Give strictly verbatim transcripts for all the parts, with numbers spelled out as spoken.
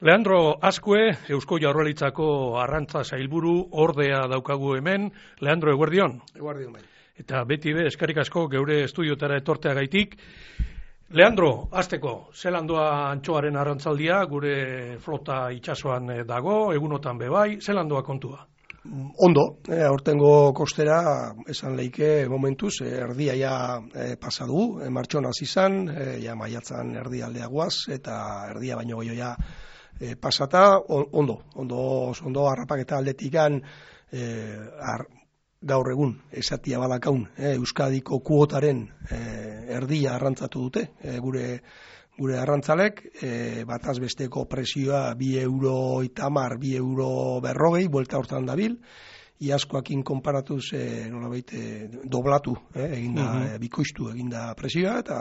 Leandro Azkue, Eusko Jaurlaritzako arrantza sailburu ordea daukagu hemen. Leandro, eguerdion. Eguerdion bai. Eta beti be, eskerrik asko geure estudiotara etorteagaitik. Leandro, hasteko, zelan doa antxoaren arrantzaldia, gure flota itsasoan dago, egunotan bebai, zelan doa kontua? Ondo, eh, aurtengo kostera, esan leike momentuz, eh, erdia ja eh, pasadu, eh, martxon hasi izan, eh, ja maiatzan erdialdea guaz, eta erdia baino gehiago ja eh, pasata, on, ondo, ondo, ondo harrapaketa aldetikan, eh, ar, gaur egun, esatia badakaun, eh, Euskadiko kuotaren eh, erdia arrantzatu dute, eh, gure gure arrantzalek, e, bataz besteko presioa bi euro itamar, bi euro berrogei, buelta hortan dabil, iaskoakin konparatuz e, nolabait e, doblatu, eh, eginda, uh-huh. e, bikoiztu eginda presioa, eta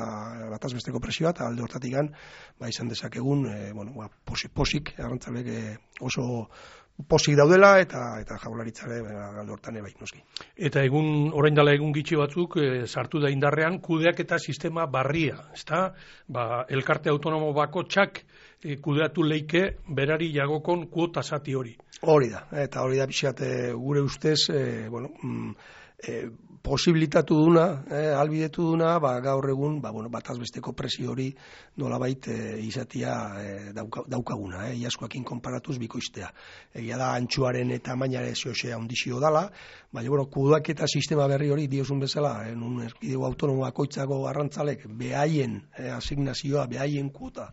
bataz besteko presioa, eta alde hortatik gan, ba, izan dezakegun, e, bueno, ba, posik, posik, arrantzalek e, oso posik daudela, eta eta jaurlaritzare alde hortan bai, noski. Eta egun, orain dela egun gitxi batzuk, e, sartu da indarrean, kudeak eta sistema barria, ezta? Ba, elkarte autonomo bako txak e, kudeatu leike berari jagokon kuota zati hori. Hori da, eta hori da pixat e, gure ustez, e, bueno, mm, e, posibilitatu duna, eh, albidetu duna, ba, gaur egun, ba, bueno, bataz besteko presio hori nolabait e, izatia e, dauka, daukaguna, eh, iaskoakin konparatuz bikoiztea. Egia da, antxuaren eta mainare zehosea ondizio dala, baina, bueno, kuduak eta sistema berri hori diozun bezala, en un erkidego autonomo bakoitzako arrantzalek, behaien eh, asignazioa, behaien kuota,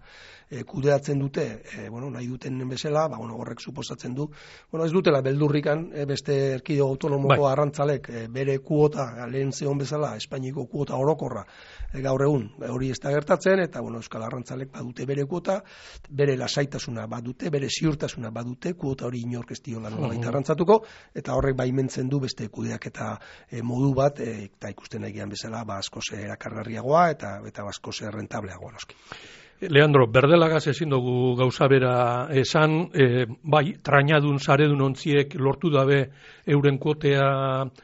E, kudeatzen dute, e, bueno, nahi duten bezala, ba, bueno, horrek suposatzen du, bueno, ez dutela beldurrikan, e, beste erkidego autonomoko bai. Arrantzalek, e, bere kuota, lehen zeon bezala, Espainiko kuota orokorra, e, gaur egun, e, hori ez da gertatzen, eta, bueno, Euskal Arrantzalek badute bere kuota, bere lasaitasuna badute, bere ziurtasuna badute, kuota hori inork ez diola nolabait uh-huh. arrantzatuko, eta horrek baimentzen du beste kudeak eta e, modu bat, e, eta ikusten nahian bezala, ba, asko ze erakargarriagoa, eta, eta asko ze rentableagoa noski. Leandro, berdelagaz ezin dugu gauza bera esan, e, bai, trainadun, saredun ontziek lortu dabe euren kuotea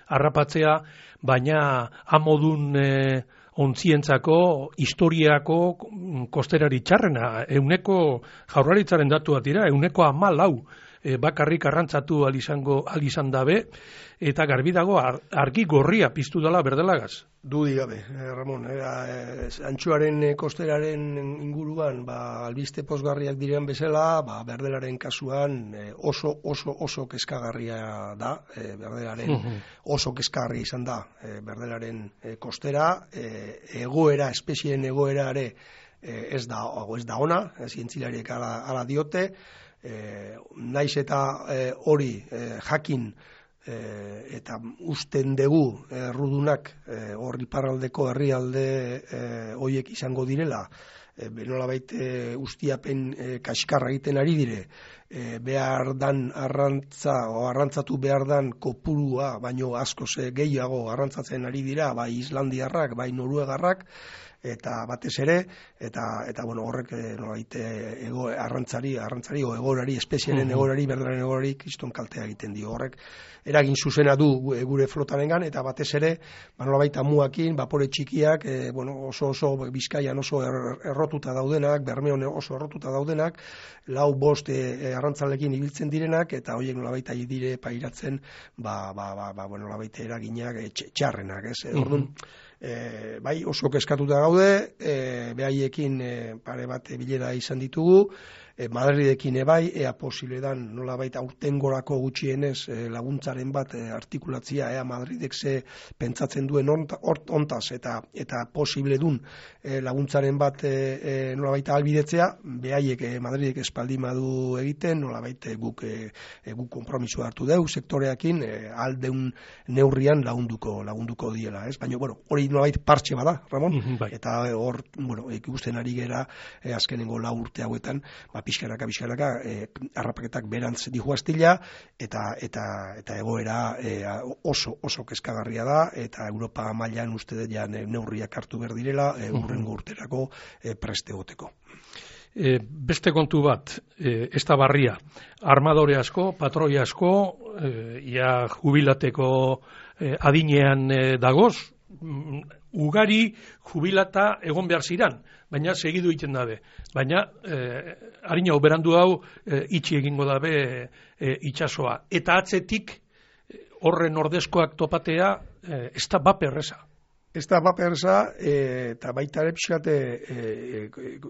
harrapatzea, baina amodun e, ontzientzako, historiako kosterari txarrena, euneko jaurlaritzaren datu bat dira, euneko hamalau e, bakarrik arrantzatu alizango, alizan dabe, eta garbi dago ar, argi gorria piztu dela berdelagaz. Dudi gabe, eh, Ramon, era, eh, antxuaren eh, kosteraren inguruan, ba, albiste pozgarriak diren bezala, ba, berdelaren kasuan eh, oso, oso, oso kezkagarria da, eh, berdelaren uh-huh. oso kezkagarria izan da, eh, berdelaren eh, kostera, eh, egoera, espezieen egoera ere eh, ez da, ez da ona, eh, zientzilariek ala, ala diote, eh, naiz eta eh, hori eh, jakin, E, eta usten dugu errudunak e, hor iparraldeko herrialde e, hoiek izango direla, e, nolabait e, ustiapen e, kaskarra egiten ari dire, e, behar dan arrantza o arrantzatu behar dan kopurua, baino asko ze gehiago arrantzatzen ari dira, bai islandiarrak, bai noruegarrak, eta batez ere, eta eta bueno, horrek nolabait ego arrantzari, arrantzari o egorari, espeziaren egorari, berdelaren egorari kriston kaltea egiten dio. Horrek eragin zuzena du gure flotarengan, eta batez ere, ba nolabait amuakin, bapore txikiak, e, bueno, oso oso Bizkaian oso er, errotuta daudenak, Bermeon oso errotuta daudenak, lau bost e, arrantzalekin ibiltzen direnak, eta hoiek nolabait ari dire pairatzen, ba ba ba, ba bueno, nolabait eraginak e, txarrenak, ez? Mm-hmm. Orduan, E, bai oso kezkatuta gaude, e, behaiekin e, pare bat bilera izan ditugu, e, Madridekin ebai, ea posible dan nolabait aurtengorako gutxienez e, laguntzaren bat e, artikulatzia, ea Madridek ze pentsatzen duen ontaz, ontaz eta eta posible dun e, laguntzaren bat e, e, nolabait albidetzea, behaiek e, Madridek espaldi madu egiten, nolabait e, guk e, e, guk konpromiso hartu deu sektoreakin, e, aldeun neurrian lagunduko lagunduko diela, ez? Baina, bueno, hori nolabait partxe bada, Ramon, mm-hmm, bai. Eta hor, bueno, ikusten ari gera e, azkenengo lau urte hauetan, ba, pixkanaka, pixkanaka, e, harrapaketak berantz dihu astila, eta, eta, eta egoera e, oso, oso kezkagarria da, eta Europa mailan uste dut ja neurriak hartu behar direla, e, urrengo urterako e, preste goteko. E, beste kontu bat, e, ez da barria, armadore asko, patroi asko, e, ia jubilateko e, adinean e, dagoz, ugari jubilata egon behar ziran, baina segidu egiten dabe. Baina, eh, harina oberandu hau, eh, itxi egingo dabe eh, itxasoa. Eta atzetik, horren ordezkoak topatea, eh, ez da baperreza. Ez da baperza, e, eta baita ere pixkate e,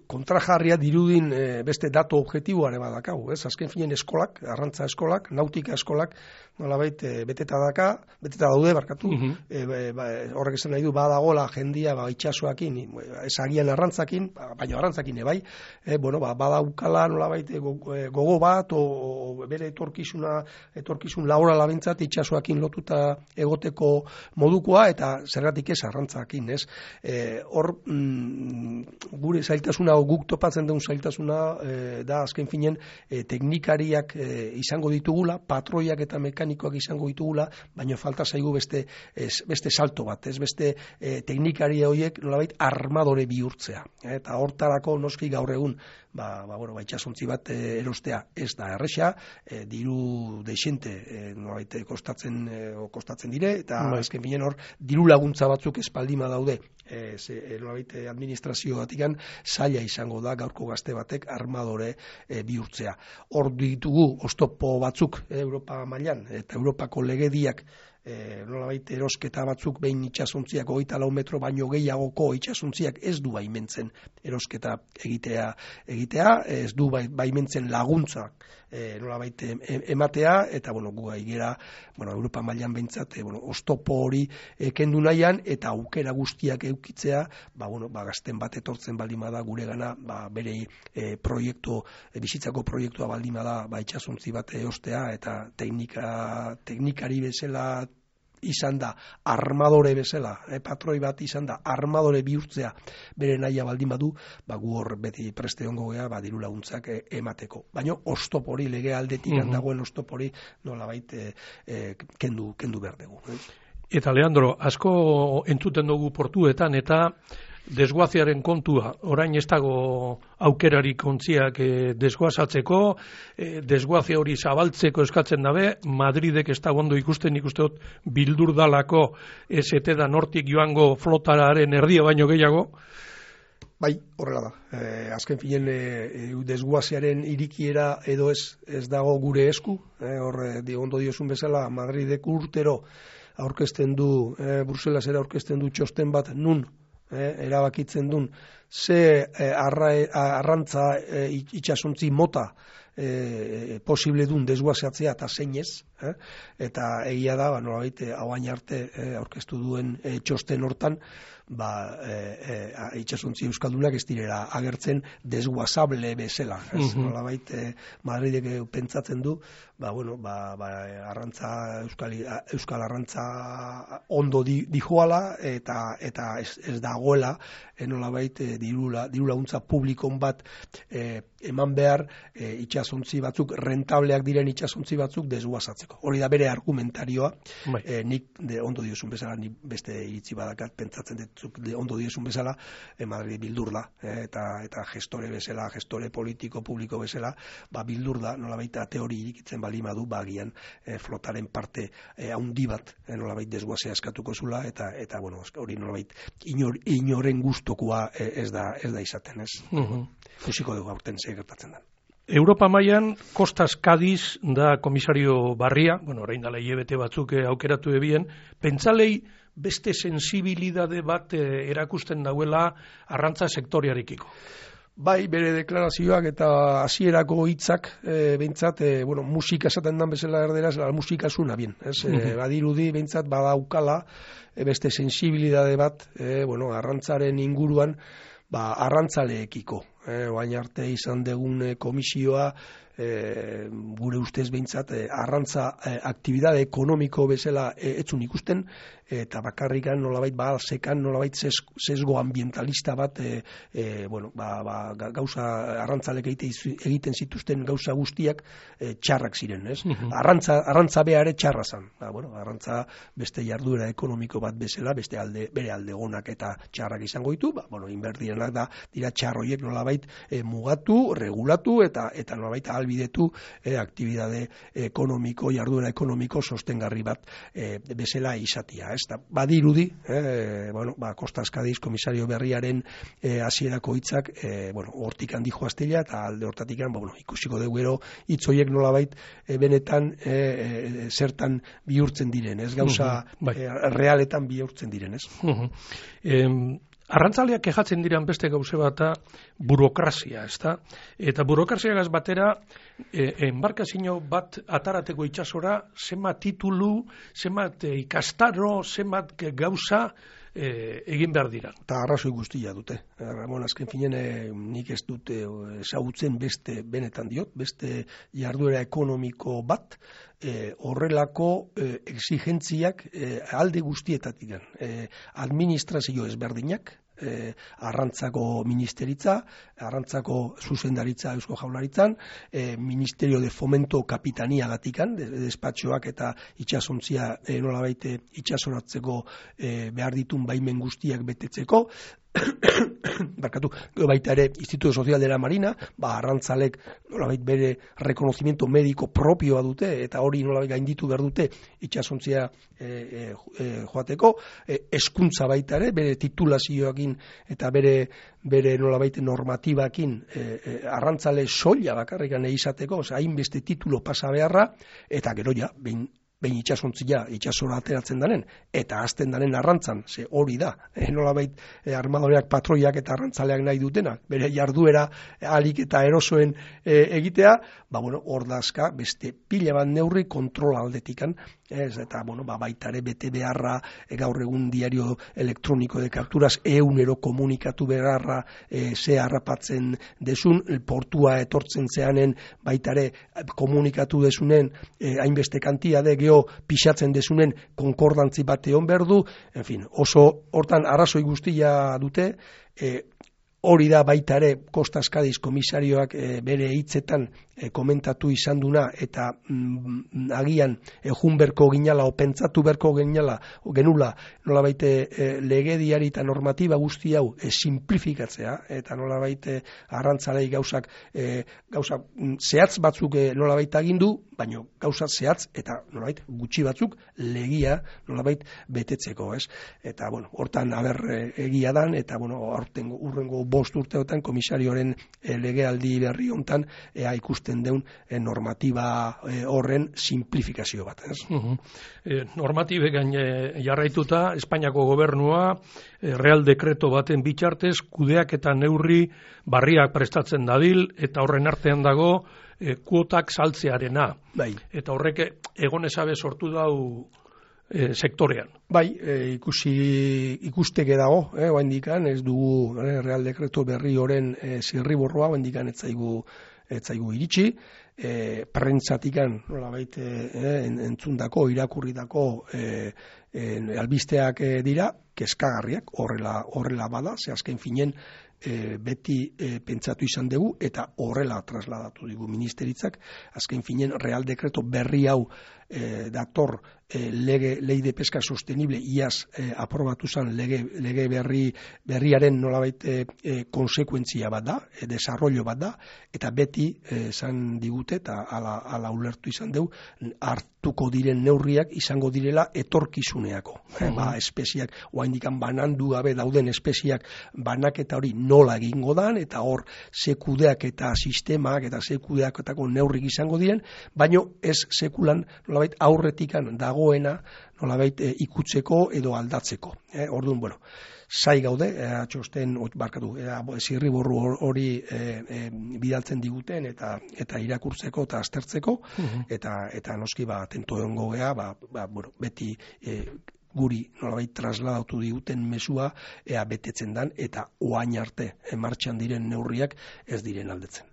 kontrajarria dirudin e, beste dato objektiboare badakau, ez? Azken finen eskolak, arrantza eskolak, nautika eskolak, nolabait e, beteta daka, beteta daude barkatu, uh -huh. e, ba, horrek esan nahi du badagola jendia ba, itxasoakin, ezagian arrantzakin, baina arrantzakin ebai, e, bueno, ba, badaukala nolabait gogo bat, o, o bere etorkizuna, etorkizun laborala bintzat itxasoakin lotuta egoteko modukoa, eta zergatik ez arrantzakin, ez? E, hor, mm, gure zailtasuna, guk topatzen duen zailtasuna, e, da azken finen e, teknikariak e, izango ditugula, patroiak eta mekanikoak izango ditugula, baina falta zaigu beste, ez, beste salto bat, ez beste e, teknikaria horiek nolabait armadore bihurtzea. Eta hortarako noski gaur egun, ba, ba, bueno, ba, itxasontzi bat e, erostea ez da erresa, e, diru deixente e, nolabait kostatzen, e, kostatzen dire, eta bai. Azken finen hor, diru laguntza batzuk espaldima daude, e, ze, nolabait administrazio batikan zaila izango da gaurko gazte batek armadore e, bihurtzea. Hor ditugu oztopo batzuk e, Europa mailan, eta Europako legediak E, nolabait erosketa batzuk behin itxasontziak hogeita lau metro baino gehiagoko itxasontziak ez du baimentzen erosketa egitea, egitea ez du baimentzen laguntza e, nolabait ematea, eta bueno, gu gaigera, bueno, Europa mailan behintzat, e, bueno, oztopo hori e, kendu nahian, eta aukera guztiak eukitzea, ba, bueno, ba, gazten bat etortzen baldimada gure gana, ba, bere e, proiektu, e, bizitzako proiektua baldimada, ba, itxasontzi bat eostea, eta teknika, teknikari bezala izan da armadore bezala, eh, patroi bat izan da armadore bihurtzea bere naia baldin badu, ba, gu hor beti preste ongo gea, ba, diru laguntzak eh, emateko. Baina oztopori, lege aldetik uh -huh. dagoen oztopori nolabait eh, eh, kendu, kendu behar dugu. Eh? Eta Leandro, asko entzuten dugu portuetan, eta desguaziaren kontua, orain ez dago aukerarik ontziak e, desguazatzeko, e, desguazia hori zabaltzeko eskatzen dabe, Madridek ez da ondo ikusten, ikuste dut bildur dalako ez ete da nortik joango flotararen erdia baino gehiago. Bai, horrela da. E, azken finen e, desguaziaren irikiera edo ez, ez dago gure esku, e, hor di, ondo diozun bezala Madridek urtero aurkezten du, e, Bruselasera aurkezten du txosten bat nun, Eh, erabakitzen duen ze eh, arra, arrantza eh, itxasontzi mota eh, posible duen desguazatzea eta zein ez, eh? Eta egia da, ba, nolabait, hauain arte eh, aurkeztu duen eh, txosten hortan, ba, e, e, itxasontzi euskaldunak ez direla agertzen desguazable bezala. Ez, uh-huh. Nolabait, e, Madridek pentsatzen du, ba, bueno, ba, ba, arrantza, euskal, euskal arrantza ondo di, dijoala, eta, eta ez, ez dagoela, e, nolabait, e, dirula, dirulaguntza publikon bat e, eman behar e, itxasontzi batzuk, rentableak diren itxasontzi batzuk desguazatzeko. Hori da bere argumentarioa, e, nik de, ondo diozun bezala, nik beste iritzi badakat pentsatzen dut de ondo diezun bezala, eh, Madrid bildur da, eh, eta, eta gestore bezala, gestore politiko, publiko bezala, ba, bildur da, nolabait teori irikitzen balimadu, bagian eh, flotaren parte eh, haundi bat, eh, nolabait desguazea eskatuko zula, eta, eta bueno, hori nolabait inor, inoren gustokoa eh, ez da ez da izaten, ez? Uh-huh. Fusiko dugu aurten ze gertatzen da. Europa mailan Kostas Kadiz da komisario barria, bueno, orain dela hilabete batzuk aukeratu ebien, pentsalei beste sensibilidade bat eh, erakusten dauela arrantza sektoriarekiko. Bai, bere deklarazioak eta hasierako hitzak e, behintzat, e, bueno, musika esaten dan bezala erderaz, la musika zuna bien, ez? E, badirudi behintzat badaukala e, beste sensibilidade bat, e, bueno, arrantzaren inguruan, ba, arrantzaleekiko. E, oain arte izan degun e, komisioa, e, gure ustez behintzat, e, arrantza e, aktibidade ekonomiko bezala e, etzun ikusten, eta bakarrikan nolabait balsekan nolabait sesgo ambientalista bat e, e, bueno, ba, ba, gauza arrantzalek egiten zituzten gauza guztiak e, txarrak ziren, ez? Uh-huh. Arrantza, arrantza beare txarra zan. Ba, bueno, arrantza beste jarduera ekonomiko bat bezala, beste alde, bere alde gonak eta txarrak izango ditu, ba, bueno, inberdienak da, dira txarroiek nolabait nolabait e, mugatu, regulatu eta eta nolabait ahalbidetu e, aktibitate ekonomiko, jarduera ekonomiko sostengarri bat e, bezala izatia, ez da, badirudi, e, bueno, ba, Kostas Kadiz komisario berriaren e, hasierako hitzak, e, bueno, hortik handi joaztila, eta alde hortatik, ba, bueno, ikusiko dugu ero, hitzoiek nolabait e, benetan e, e, zertan bihurtzen diren, ez gauza uh-huh, e, realetan bihurtzen diren, ez? Uh-huh. em, Arrantzaleak kejatzen diran beste gauze bata burokrazia, ezta? Eta burokraziagaz batera, e, enbarkazio bat atarateko itsasora, zenbat titulu, zenbat e, ikastaro, zenbat gauza e, egin behar dira. Eta arrazoi guztia dute. Ramon, azken finen, e, nik ez dute ezagutzen beste, benetan diot, beste jarduera ekonomiko bat, E, horrelako e, exigentziak e, alde guztietatik e, administrazio ezberdinak, e, arrantzako ministeritza, arrantzako zuzendaritza Eusko Jaurlaritzan, e, Ministerio de Fomento Kapitania gatikan, de, despatxoak eta itxasontzia e, nolabait itxasoratzeko e, behar ditun baimen guztiak betetzeko, barkatu, baita ere Instituto Social de la Marina, ba, arrantzalek nolabait bere reconocimiento médico propioa dute, eta hori nolabait gainditu behar dute itxasontzia e, e, e, joateko, e, eskuntza baita ere, bere titulazioakin eta bere bere nolabait normatibakin e, e, arrantzale soila bakarrikan izateko, hainbeste titulo pasa beharra, eta gero ja, behin behin itxasontzia, itxasora ateratzen danen, eta azten danen arrantzan, ze hori da, e, nolabait e, armadoreak, patroiak eta arrantzaleak nahi dutenak, bere jarduera alik eta erosoen e, egitea, ba, bueno, hor dazka, beste pila bat neurri kontrol aldetikan, ez, eta, bueno, ba, baitare bete beharra, e, gaur egun diario elektroniko de kapturaz, eunero komunikatu beharra, e, ze harrapatzen desun, portua etortzen zeanen, baitare komunikatu desunen, e, hainbeste kantia de geho pixatzen desunen konkordantzi bat egon behar du, en fin, oso hortan arrazoi guztia dute, e, hori da baita ere Kostas Kadiz komisarioak e, bere hitzetan e, komentatu izan duna, eta mm, agian ejun berko ginala, o pentsatu berko ginala, o genula, nola baite e, legediari eta normatiba guzti hau e, simplifikatzea, eta nola baite arrantzalei gauzak, e, gauzak zehatz batzuk e, nola baita agindu, baina gauza zehatz eta nolabait gutxi batzuk legia nolabait betetzeko, ez? Eta bueno, hortan aber egia dan, eta bueno, aurtengo urrengo bost urteotan komisarioren e, legealdi berri hontan ea ikusten deun e, normatiba e, horren simplifikazio bat, ez? Uh-huh. e, normatibe gain e, jarraituta Espainiako gobernua e, Real Dekreto baten bitartez kudeak eta neurri barriak prestatzen dabil, eta horren artean dago E, kuotak saltzearena. Bai. Eta horrek egon ezabe sortu dau e, sektorean. Bai, e, ikusi ikusteke dago, eh, oaindikan, ez dugu eh, Real Dekreto berri horren e, zirriborroa, oaindikan ez zaigu ez zaigu iritsi, e, prentsatikan nolabait e, entzundako, irakurritako e, e, albisteak e, dira, kezkagarriak, horrela horrela bada, ze azken finen E, beti e, pentsatu izan dugu, eta horrela trasladatu digu ministeritzak, azken finen Real Dekreto berri hau e, dator e, lege, lei de pesca sostenible iaz e, aprobatu zen lege, lege berri, berriaren nolabait e, e, konsekuentzia bat da, e, desarrollo bat da, eta beti esan e, digute, eta ala, ala ulertu izan dugu, hartuko diren neurriak izango direla etorkizuneako. Mm-hmm. Ba, espeziak, oaindikan banandu gabe dauden espeziak banaketa hori nola egingo dan, eta hor sekudeak eta sistemak eta sekudeaketako neurrik izango diren, baino ez sekulan nolabait aurretikan dagoena nolabait e, ikutzeko edo aldatzeko. E, orduan, bueno, zai gaude, e, txosten, barkatu, e, zirriborru hori e, e, bidaltzen diguten eta eta irakurtzeko eta aztertzeko, uh-huh. eta eta noski ba atento egongo gea, ba, ba bueno, beti e, guri nolabait trasladatu diguten mesua ea betetzen dan, eta oain arte martxan diren neurriak ez diren aldetzen.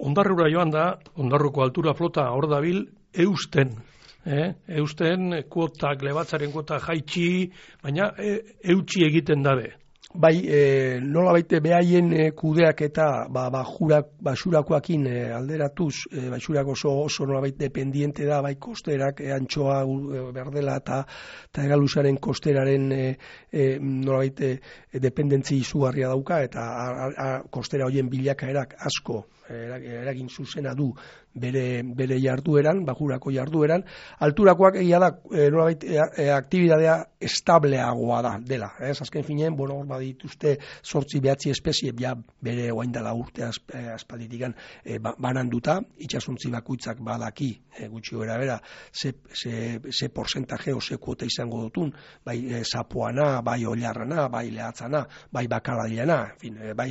Ondarrura joan da, Ondarruko altura flota hor dabil, eusten. Eh? Eusten kuotak, lebatzaren kuota jaitsi, baina e, eutxi egiten dabe. Bai, e, nola baite behaien e, kudeak eta ba, ba, jurak, basurakoakin e, alderatuz, e, basurak oso, oso nola baite dependiente da, bai kosterak, e, antxoa, e, berdela eta, eta egalusaren kosteraren e, e, nola baite e, dependentzi izugarria dauka, eta a, a, kostera hoien bilakaerak asko eragin zuzena du bere, bere jardueran, bajurako jardueran. Alturakoak egia da, e, nolabait, e, e, aktibidadea estableagoa da, dela. Ez, azken finean, bueno, hor badituzte sortzi behatzi espezie, ja bere oaindala urte aspalditikan e, ba, bananduta, itxasuntzi bakuitzak badaki, e, gutxi bera bera, ze, ze, ze porcentaje o ze kuota izango dutun, bai e, zapoana, bai oilarrana, bai lehatzana, bai bakaladiana, en fin, e, bai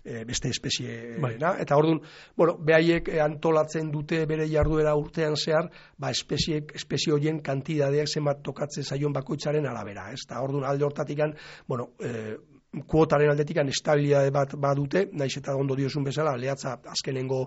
e, beste espezie, bai. Eta orduan, bueno, behaiek antolatzen dute bere jarduera urtean zehar, ba, espeziek, espezie horien kantidadeak zenbat tokatzen zaion bakoitzaren arabera, ez? Ta orduan alde hortatikan, bueno, eh, kuotaren aldetikan estabilitate bat badute, naiz eta ondo diozun bezala, lehatza azkenengo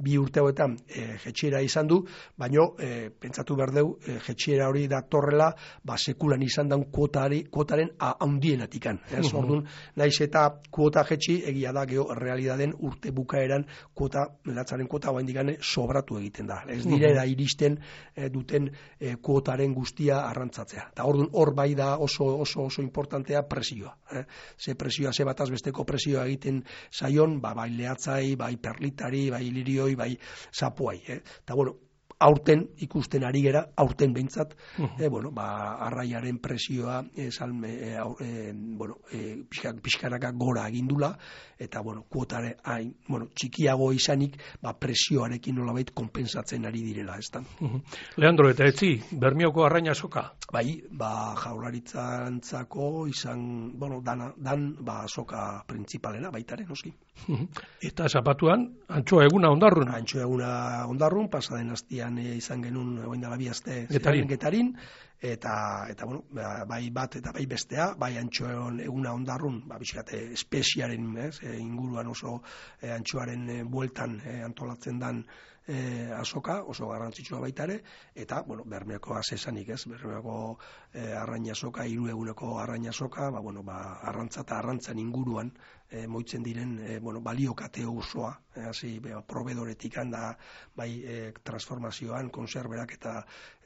bi urte hauetan e, jetxiera izan du, baino e, pentsatu berdeu, e, jetxiera hori datorrela, ba, sekulan izan daun kuotari, kuotaren handienatikan. Ez, uh-huh. Orduan, naiz eta kuota jetxi, egia da, geho, realidaden urte bukaeran kuota, lehatzaren kuota, oa indigane, sobratu egiten da. Ez direra uh-huh. iristen e, duten e, kuotaren guztia arrantzatzea. Eta orduan, hor bai da oso, oso, oso importantea presioa. Eh? Ze presioa, ze bataz besteko presioa egiten zaion, ba, bai lehatzai, bai perlitari, bai lirioi, bai zapuai. Eh? Eta, bueno, aurten ikusten ari gera, aurten behintzat, uh-huh. eh, bueno, ba, arraiaren presioa, eh, salme, eh, eh, bueno, eh, pixkanaka gora egindula, eta, bueno, kuotare, hain, bueno, txikiago izanik, ba, presioarekin nolabait konpensatzen ari direla, ez da. Uh-huh. Leandro, eta etzi, Bermioko arraina soka? Bai, ba, jaurlaritzantzako izan, bueno, dana, dan, ba, soka principalena, baitaren, noski. Uh-huh. Eta zapatuan, antxoa eguna ondarrun? Antxoa eguna ondarrun, pasaden hastian e, izan genuen, oin dala bi aste Getarin. Getarin, eta, eta bueno, bai bat eta bai bestea, bai antxoa eguna ondarrun, ba, bizkate, espeziaren, ez, e, inguruan oso e, antxoaren e, bueltan e, antolatzen dan E, azoka, oso garrantzitsua baita ere, eta, bueno, Bermeoko asesanik, ez, Bermeoko e, arraina soka, hiru eguneko arraina soka, ba, bueno, ba, arrantza eta arrantzan inguruan e, moitzen diren, e, bueno, baliokate osoa, e, hasi, be, probedoretik handa, bai, e, transformazioan, konserberak eta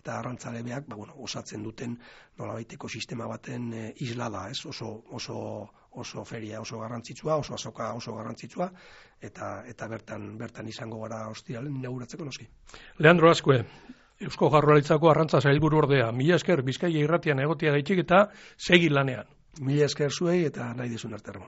eta arrantzalebeak, ba, bueno, osatzen duten nolabaiteko sistema baten e, isla da, ez, oso, oso, oso feria oso garrantzitsua, oso azoka oso garrantzitsua, eta eta bertan bertan izango gara ostiralen inauguratzeko noski. Leandro Azkue, Eusko Jaurlaritzako arrantza sailburu ordea, mila esker Bizkaia irratian egotea gaitik eta segi lanean. Mila esker zuei eta nahi dizun arte.